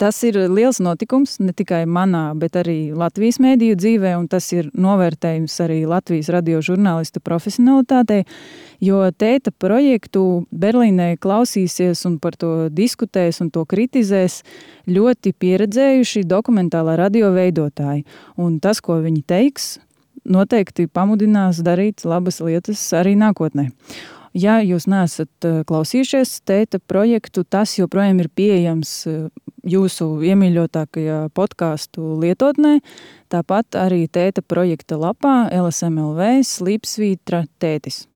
Tas ir liels notikums ne tikai manā, bet arī Latvijas mēdīju dzīvē, un tas ir novērtējums arī Latvijas radio žurnālistu profesionalitātei, jo tēta projektu Berlīnē klausīsies un par to diskutēs un to kritizēs ļoti pieredzējuši dokumentālā radio veidotāji. Un tas, ko viņi teiks, noteikti pamudinās darīt labas lietas arī nākotnē. Ja jūs neesat klausījušies tēta projektu, tas joprojām ir pieejams jūsu iemīļotākajā podcastu lietotnē. Tāpat arī tēta projekta lapā LSM.LV slīpsvītra tētis.